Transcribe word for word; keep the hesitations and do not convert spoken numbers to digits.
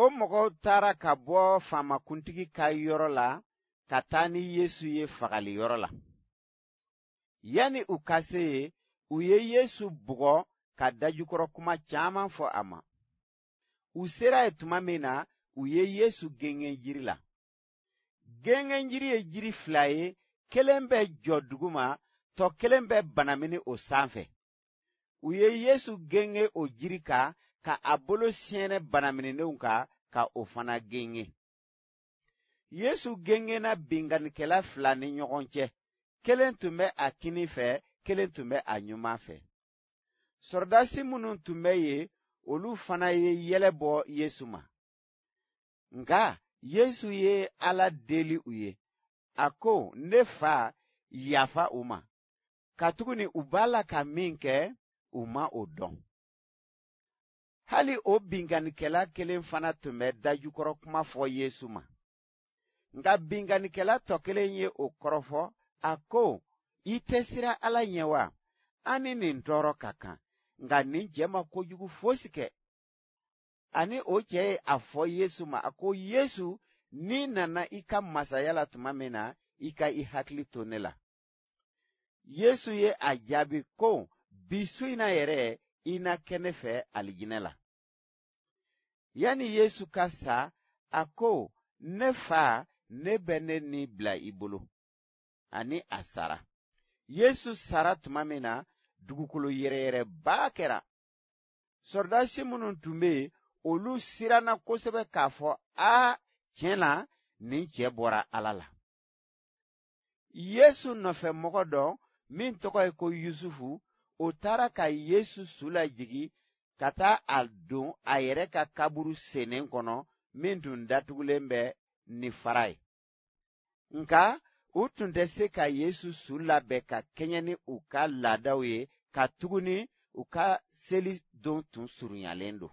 O mɔgɔw taara ka bɔ faamakuntigi ka yɔrɔ la ka taa ni Yesu ye fagali yɔrɔ la. Yanni u ka se yen, u ye Yesu bugɔ ka dajukɔrɔ kuma caman fɔ a ma. U sera yen tuma min na, u ye Yesu gengen jiri la. Gengenjiri ye jiri fila ye, kelen bɛ jɔ duguma, tɔ kelen bɛ banamini o sanfɛ. U ye Yesu gengen o jiri kan ka a bolo sɛɛnɛ banaminenw kan ka o fana gengen. Yesu gengenna binkannikɛla fila ni ɲɔgɔn cɛ, kelen tun bɛ a kinin fɛ, kelen tun bɛ a ɲuman fɛ. Sɔrɔdasi minnu tun bɛ yen, olu fana ye yɛlɛ bɔ Yesu ma. Nka Yesu ye Ala deli u ye, a ko, ne fa, yafa u ma, katuguni u b'a la ka min kɛ, u ma o dɔn. Hali o binkannikɛla kelen fana tun bɛ dajukɔrɔ kuma fɔ Yesu ma. Nka binkannikɛla tɔ kelen ye o kɔrɔfɔ, a ko, i tɛ siran Ala ɲɛ wa? An ni nin tɔɔrɔ ka kan, nka nin cɛ ma kojugu fosi kɛ. Ani o cɛ ye a fɔ Yesu ma, a ko, Yesu, n'i nana i ka masaya la tuma min na, i ka i hakili to ne la. Yesu ye a jaabi ko, bi su in na yɛrɛ, i na kɛ ne fɛ alijinɛ la. Yanni Yesu ka sa, a ko, ne fa, ne bɛ ne ni bila i bolo. Ani a sara. Yesu sara tuma min na, dugukolo yɛrɛyɛrɛba kɛra. Sɔrɔdasi minnu tun bɛ yen, olu siranna kosɛbɛ k'a fɔ, aa, tiɲɛ na, nin cɛ bɔra Ala la. Yesu nɔfɛ mɔgɔ dɔ, min tɔgɔ ye ko Yusufu, o taara ka Yesu su lajigin ka taa a don a yɛrɛ ka kaburu sennen kɔnɔ, min tun datugulen bɛ ni fara ye. Nka u tun tɛ se ka Yesu su labɛn ka kɛɲɛ ni u ka laadaw ye, katuguni u ka seli don tun surunyalen don.